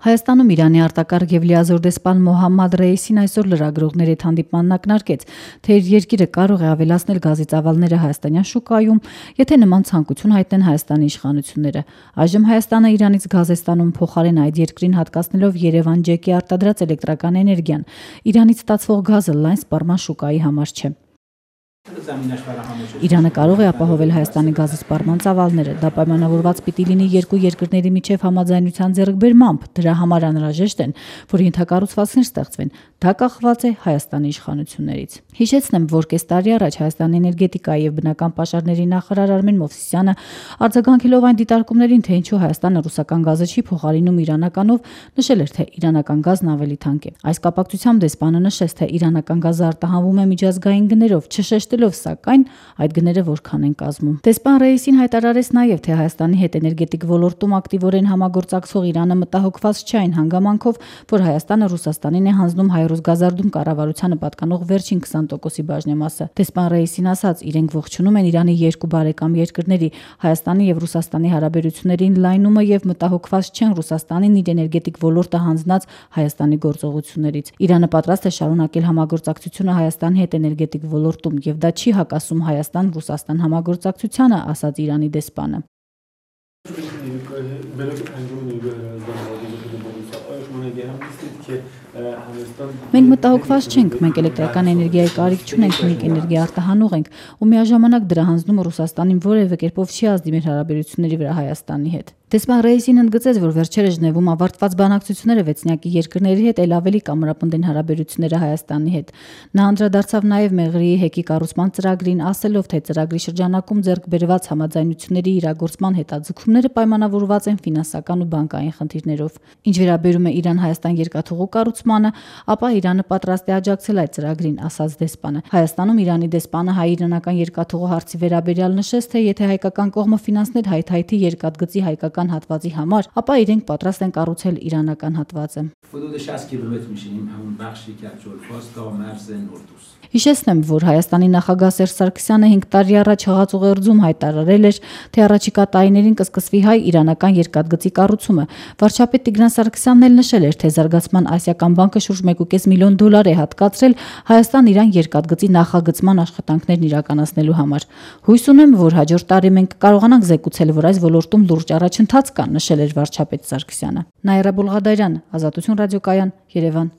Հայաստանում Իրանի արտակարգ եւ լիազոր դեսպան Մոհամմադ Ռեյիսին այսօր լրագրողների հետ հանդիպմանն ակնարկեց, թե իր երկիրը կարող է ավելացնել գազի ծավալները հայաստանյան շուկայում, եթե նման ցանկություն հայտնեն Հայաստանի իշխանությունները։ Այժմ Հայաստանը Իրանից գազ է ստանում փոխարեն այդ երկրին հատկացնելով Երևան ջեկի արտադրած էլեկտրական էներգիան։ Իրանից ստացվող գազը լայն սպառման շուկայի համար չէ։ Իրանը կարող է ապահովել Հայաստանի գազի սպառման ծավալները, դա պայմանավորված պիտի լինի երկու երկրների միջև համաձայնության ձեռքբերմամբ, դրա համար անհրաժեշտ են, որ ենթակառուցվածքներ ստեղծվեն, դա կախված է Հայաստանի իշխանություններից։ Հիշեցնեմ, որ կես տարի առաջ Հայաստանի էներգետիկայի եւ բնական պաշարների նախարար Արմեն Մովսիսյանը արձագանքելով այն դիտարկումներին, թե ինչու Հայաստանը ռուսական գազը չի փոխարինում իրանականով, նշել էր, թե իրանական գազն ավելի թանկ է։ Այս կապակցությամբ դեսպանը նշեց, թե իրանական գազը արտահանվում է միջազգային գներով, չշեշտելով սակայն այդ գները որքան են կազմում։ Դեսպան Ռեյիսին հայտարարեց նաև, թե Հայաստանի հետ էներգետիկ ոլորտում ակտիվորեն համագործակցող Իրանը մտահոգված չէ այն հանգամանքով, որ Հայաստանը Ռուսաստանին է հանձնում հայ-ռուս գազարդում կառավարությանը պատկանող վերջին 20%-ի բաժնեմասը։ Դեսպան Ռեյիսին ասաց, իրենք ողջունում են Իրանի երկու բարեկամ երկրների Հայաստանի եւ Ռուսաստանի հարաբերություններին լայնումը եւ մտահոգված չեն Ռուսաստանին իր էներգետիկ ոլորտը հանձնած Հայաստանի գործողություններից։ Իրանը պատրաստ է շարունակել համագործակցությունը Հայաստանի հետ էներգետիկ ոլորտում եւ դա չի հակասում Հայաստան-Ռուսաստան համագործակցությանը, ասաց Իրանի դեսպանը։ Մենք մտահոգված չենք, մենք էլեկտրական էներգիայի կարիք չունենք, մենք էներգիա արտահանող ենք ու միաժամանակ դրա հանձնումը Ռուսաստանին որևէ կերպով չի ազդի մեր հարաբերությունների վրա Հայաստանի հետ։ Դեսպան Ռեյիսին ընդգծեց, որ վերջերս Ժնևում ավարտված բանակցությունները վեցնյակի երկրների հետ ել ավելի կամրապնդեն հարաբերությունները Հայաստանի հետ։ Նա անդրադարձավ նաև Մեղրիի հեկի կառուցման ծրագրին, ասելով, թե ծրագրի շրջանակում ձեռք բերված համաձայնությունների իրագործման հետաձգումները պայմանավորված են ֆինանսական ու բանկային խնդիրներով։ Ինչ վերաբերում է Իրան-Հայաստան երկաթուղու կառուցմանը, ապա Իրանը պատրաստ է աջակցել այդ ծրագրին, ասաց դեսպանը։ Հայաստանում Իրանի դեսպանը հայ-իրանական երկաթուղու հարցի վերաբերյալ նշեց, թե եթե հայկական կողմը ֆինանսներ հայ-թայթի երկաթգծի հայկական հատվածի համար, ապա իրենք պատրաստ են կառուցել իրանական հատվածը։ Հիշեցնեմ, որ Հայաստանի նախագահ Սերժ Սարգսյանը 5 տարի առաջ Հղացուղերձում հայտարարել էր, թե առաջիկա տարիներին կսկսվի հայ-իրանական երկաթգծի կառուցումը։ Վարչապետ Տիգրան Սարգսյանն էլ նշել էր, թե Զարգացման ասիական բանկը շուրջ $1.5 միլիոն է հատկացրել Հայաստան-Իրան երկաթգծի նախագծման աշխատանքներն իրականացնելու համար։ Հույս ունեմ, որ հաջորդ տարի մենք կկարողանանք զեկուցել, որ այս ոլորտում լուրջ առաջընթաց կա, նշել էր վարչապետ Սարգսյանը։ Նաիրա Բուլղադարյան, Ազատություն ռադիոկայան, Երևան։